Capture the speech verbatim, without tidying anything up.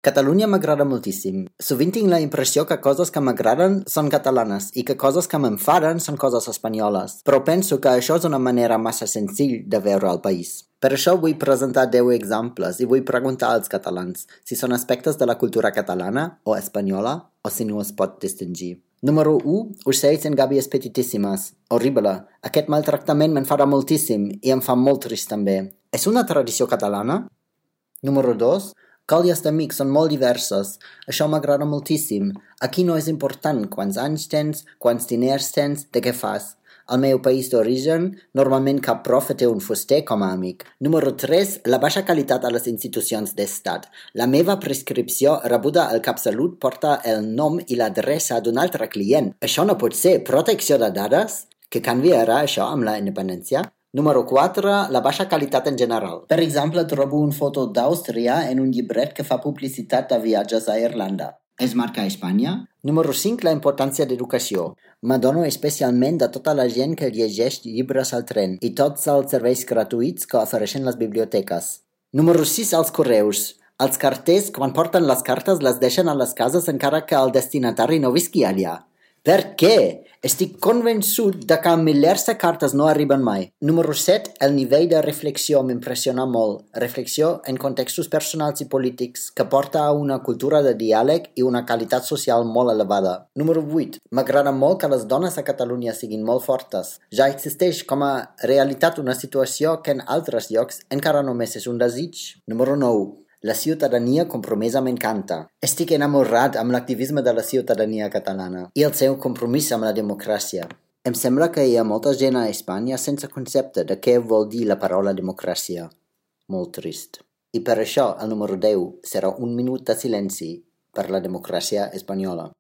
Catalunya m'agrada moltíssim. Sovint tinc la impressió que coses que m'agraden són catalanes i que coses que m'enfaden són coses espanyoles, però penso que això és una manera massa senzill de veure el país. Per això vull presentar deu exemples i vull preguntar als catalans si són aspectes de la cultura catalana o espanyola o si no es pot distingir. Número u. Ocells en gàbies petitíssimes. Horrible. Aquest maltractament m'enfada moltíssim i em fa molt trist també. És una tradició catalana? Número dos. Colles d'amics són molt diverses. Això m'agrada moltíssim. Aquí no és important quants anys tens, quants diners tens, de què fas. Al meu país d'origen, normalment cap profe té un fuster com a amic. Número tres. La baixa qualitat a les institucions d'estat. La meva prescripció rebuda al CapSalut porta el nom i l'adreça d'un altre client. Això no pot ser. Protecció de dades? Que canviarà això amb la independència? Número quatre. La baixa qualitat en general. Per exemple, trobo una foto d'Àustria en un llibret que fa publicitat de viatges a Irlanda. Es marca Espanya? Número cinc. La importància d'educació. M'adono especialment de tota la gent que llegeix llibres al tren i tots els serveis gratuïts que ofereixen les biblioteques. Número sis. Els correus. Els carters, quan porten les cartes, les deixen a les cases encara que el destinatari no visqui allà. Per què? Estic convençut de que milers de cartes no arriben mai. Número set. El nivell de reflexió m'impressiona molt. Reflexió en contextos personals i polítics que porta a una cultura de diàleg i una qualitat social molt elevada. Número vuit. M'agrada molt que les dones a Catalunya siguin molt fortes. Ja existeix com a realitat una situació que en altres llocs encara només és un desig. Número nou. La ciutadania compromesa m'encanta. Estic enamorat amb l'activisme de la ciutadania catalana i el seu compromís amb la democràcia. Em sembla que hi ha molta gent a Espanya sense concepte de què vol dir la paraula democràcia. Molt trist. I per això el número deu serà un minut de silenci per la democràcia espanyola.